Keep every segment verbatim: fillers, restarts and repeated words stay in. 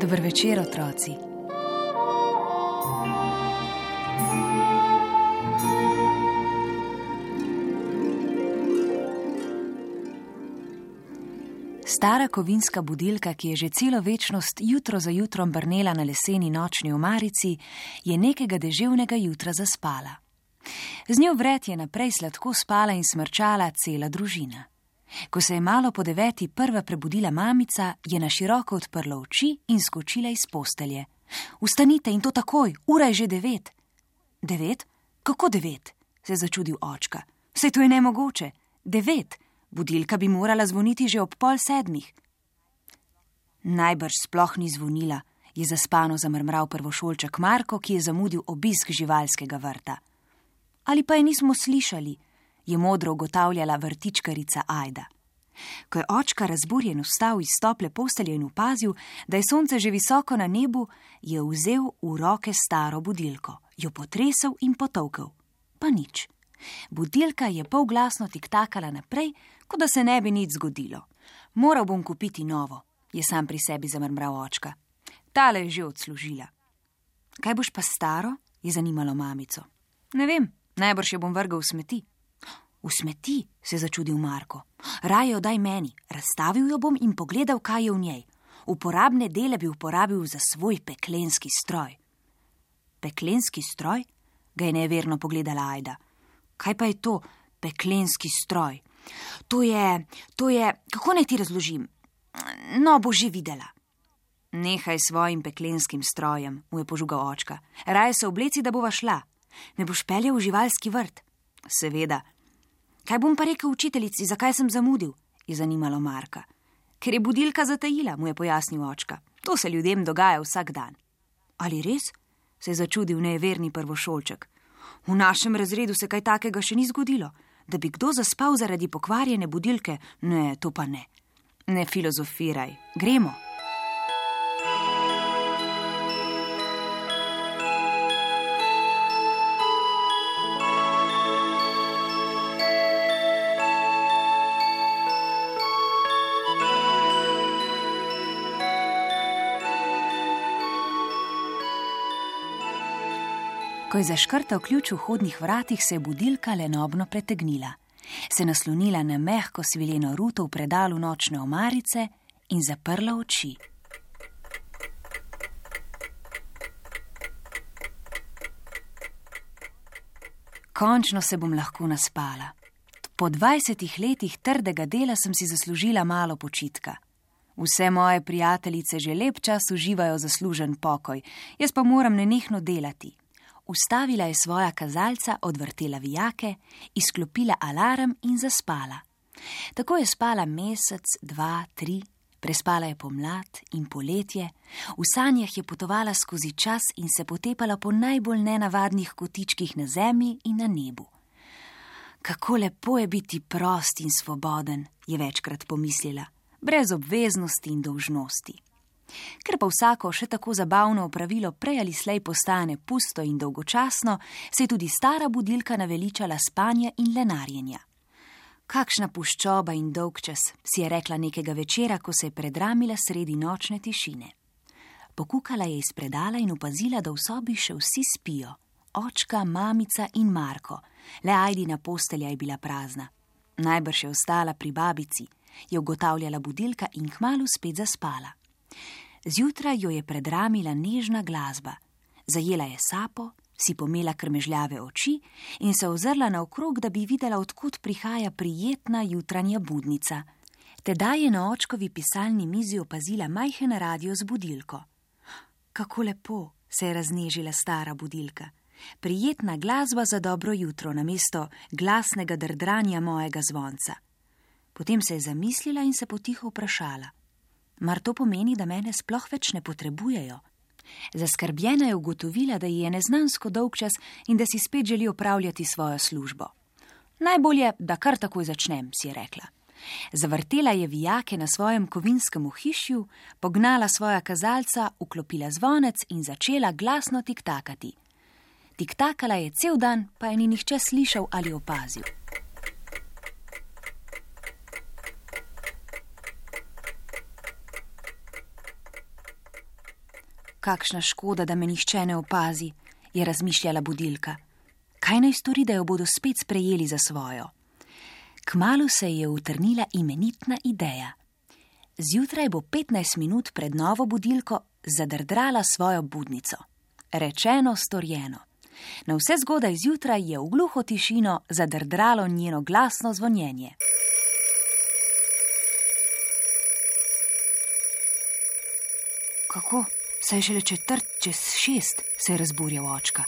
Dober večer, otroci. Stara kovinska budilka, ki je že celo večnost jutro za jutrom brnela na leseni nočni omarici, je nekega deževnega jutra zaspala. Z njo vred je naprej sladko spala in smrčala cela družina. Ko se je malo po deveti prva prebudila mamica, je na široko odprla oči in skočila iz postelje. Vstanite in to takoj, ura je že devet. Devet? Kako devet? Se je začudil očka. Saj to je nemogoče. Devet. Budilka bi morala zvoniti že ob pol sedmih. Najbrž sploh ni zvonila, je zaspano zamrmral prvošolček Marko, ki je zamudil obisk živalskega vrta. Ali pa je nismo slišali, je modro ugotavljala vrtičkarica Ajda. Ko je očka razburjen vstal iz tople postelje in opazil, da je sonce že visoko na nebu, je vzel v roke staro budilko, jo potresel in potolkel. Pa nič. Budilka je polglasno tiktakala naprej, kot da se ne bi nič zgodilo. Moral bom kupiti novo, je sam pri sebi zamrmral očka. Tale je že odslužila. Kaj boš pa staro? Je zanimalo mamico. Ne vem, najbrž jo bom vrgal v smeti. V smeti, se je začudil Marko. Raje jo daj meni, razstavil jo bom in pogledal, kaj je v njej. Uporabne dele bi uporabil za svoj peklenski stroj. Peklenski stroj? Ga je neverno pogledala Ajda. Kaj pa je to, peklenski stroj? To je, to je, kako naj ti razložim? No, bo že videla. Nehaj s svojim peklenskim strojem, mu je požugal očka. Raje se obleci, da bova šla. Me boš peljal v živalski vrt? Seveda. Kaj bom pa rekel učiteljici, zakaj sem zamudil? Je zanimalo Marka. Ker je budilka zatajila, mu je pojasnil očka. To se ljudem dogaja vsak dan. Ali res? Se je začudil neverni prvošolček. V našem razredu se kaj takega še ni zgodilo. Da bi kdo zaspal zaradi pokvarjene budilke? Ne, to pa ne. Ne filozofiraj. Gremo. Ko je zaškrtal ključ v vhodnih vratih, se je budilka lenobno pretegnila, se naslonila na mehko svileno ruto v predalu nočne omarice in zaprla oči. Končno se bom lahko naspala. Po dvajsetih letih trdega dela sem si zaslužila malo počitka. Vse moje prijateljice že lep čas uživajo zaslužen pokoj, jaz pa moram nenehno delati. Ustavila je svoja kazalca, odvrtela vijake, izklopila alarm in zaspala. Tako je spala mesec, dva, tri, prespala je pomlad in poletje, v sanjah je potovala skozi čas in se potepala po najbolj nenavadnih kotičkih na zemlji in na nebu. Kako lepo je biti prost in svoboden, je večkrat pomislila, brez obveznosti in dolžnosti. Ker pa vsako še tako zabavno opravilo prej ali slej postane pusto in dolgočasno, se je tudi stara budilka naveličala spanja in lenarjenja. Kakšna puščoba in dolgčas, si je rekla nekega večera, ko se je predramila sredi nočne tišine. Pokukala je iz predala in opazila, da v sobi še vsi spijo. Očka, mamica in Marko. Le Ajdina postelja je bila prazna. Najbrž je ostala pri babici, je ugotavljala budilka in kmalu spet zaspala. Zjutraj jo je predramila nežna glasba. Zajela je sapo, si pomela krmežljave oči in se ozrla naokrog, da bi videla, odkot prihaja prijetna jutranja budnica. Tedaj je na očkovi pisalni mizi opazila majhen radio z budilko. Kako lepo, se je raznežila stara budilka. Prijetna glasba za dobro jutro namesto glasnega drdranja mojega zvonca. Potem se je zamislila in se potiho vprašala. Mar to pomeni, da mene sploh več ne potrebujejo? Zaskrbljena je ugotovila, da ji je neznansko dolgčas in da si spet želi opravljati svojo službo. Najbolje, da kar takoj začnem, si je rekla. Zavrtela je vijake na svojem kovinskem ohišju, pognala svoja kazalca, vklopila zvonec in začela glasno tiktakati. Tiktakala je cel dan, pa je ni nihče slišal ali opazil. kakšna škoda, da me nihče ne opazi, je razmišljala budilka. Kaj naj stori, da jo bodo spet sprejeli za svojo? Kmalu se je utrnila imenitna ideja. Zjutraj bo petnajst minut pred novo budilko zadrdrala svojo budnico. Rečeno, storjeno. Na vse zgodaj zjutraj je v gluho tišino zadrdralo njeno glasno zvonjenje. Kako? Saj je šele četrt čez šest, se je razburjal očka.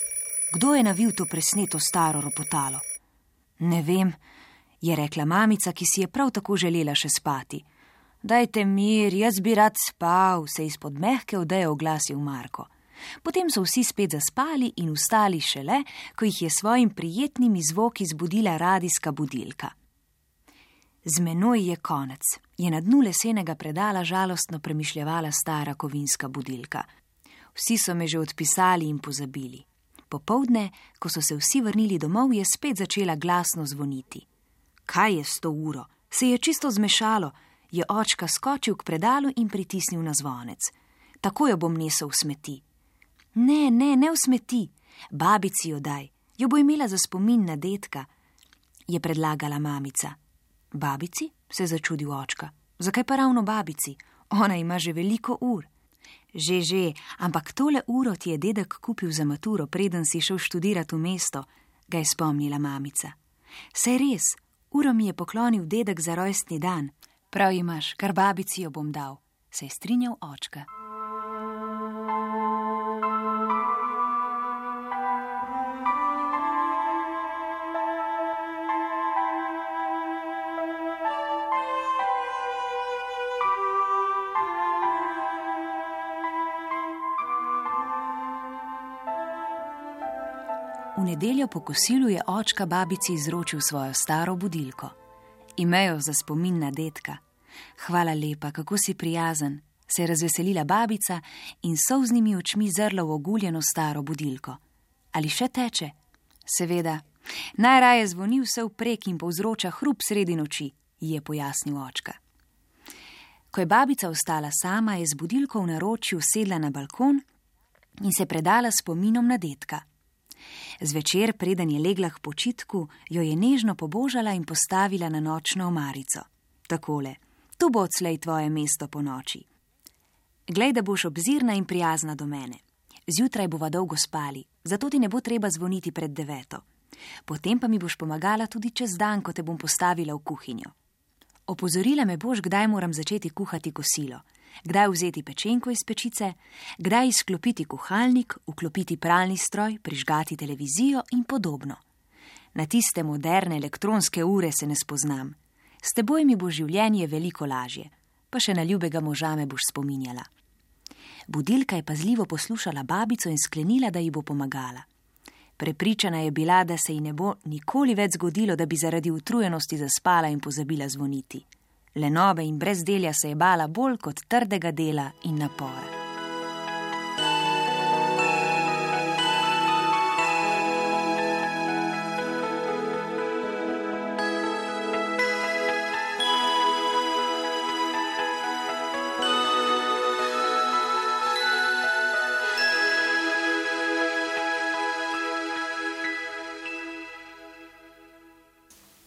Kdo je navil to presneto staro ropotalo? Ne vem, je rekla mamica, ki si je prav tako želela še spati. Dajte mir, jaz bi rad spal, se izpod mehke odeje oglasil Marko. Potem so vsi spet zaspali in vstali šele, ko jih je svojim prijetnimi zvoki zbudila radijska budilka. Z menoj je konec, je na dnu lesenega predala žalostno premišljevala stara kovinska budilka. Vsi so me že odpisali in pozabili. Popoldne, ko so se vsi vrnili domov, je spet začela glasno zvoniti. Kaj je s to uro? Se je čisto zmešalo, je očka skočil k predalu in pritisnil na zvonec. Tako jo bom nesel v smeti. Ne, ne, ne v smeti, babici jo daj, jo bo imela za spomin na dedka, je predlagala mamica. Babici? Se je začudil očka. Zakaj pa ravno babici? Ona ima že veliko ur. Že, že, ampak tole uro ti je dedek kupil za maturo, preden si šel študirat v mesto, ga je spomnila mamica. Saj res, uro mi je poklonil dedek za rojstni dan. Prav imaš, kar babici jo bom dal, se je strinjal očka. V nedeljo po kosilu je očka babici izročil svojo staro budilko. Imejo za spomin na dedka. Hvala lepa, kako si prijazen, se je razveselila babica in s solznimi očmi zrla v oguljeno staro budilko. Ali še teče? Seveda. Najraje zvoni vse vprek in povzroča hrup sredi noči, ji je pojasnil očka. Ko je babica ostala sama, je z budilko v naročju sedla na balkon in se predala spominom na dedka. Zvečer, preden je legla k počitku, jo je nežno pobožala in postavila na nočno omarico. Takole, tu bo odslej tvoje mesto po noči. Glej, da boš obzirna in prijazna do mene. Zjutraj bova dolgo spali, zato ti ne bo treba zvoniti pred deveto. Potem pa mi boš pomagala tudi čez dan, ko te bom postavila v kuhinjo. Opozorila me boš, kdaj moram začeti kuhati kosilo, kdaj vzeti pečenko iz pečice, kdaj izklopiti kuhalnik, vklopiti pralni stroj, prižgati televizijo in podobno. Na tiste moderne elektronske ure se ne spoznam. S teboj mi bo življenje veliko lažje, pa še na ljubega moža me boš spominjala. Budilka je pazljivo poslušala babico in sklenila, da ji bo pomagala. Prepričana je bila, da se ji ne bo nikoli več zgodilo, da bi zaradi utrujenosti zaspala in pozabila zvoniti. Lenobe in brezdelja se je bala bolj kot trdega dela in napora.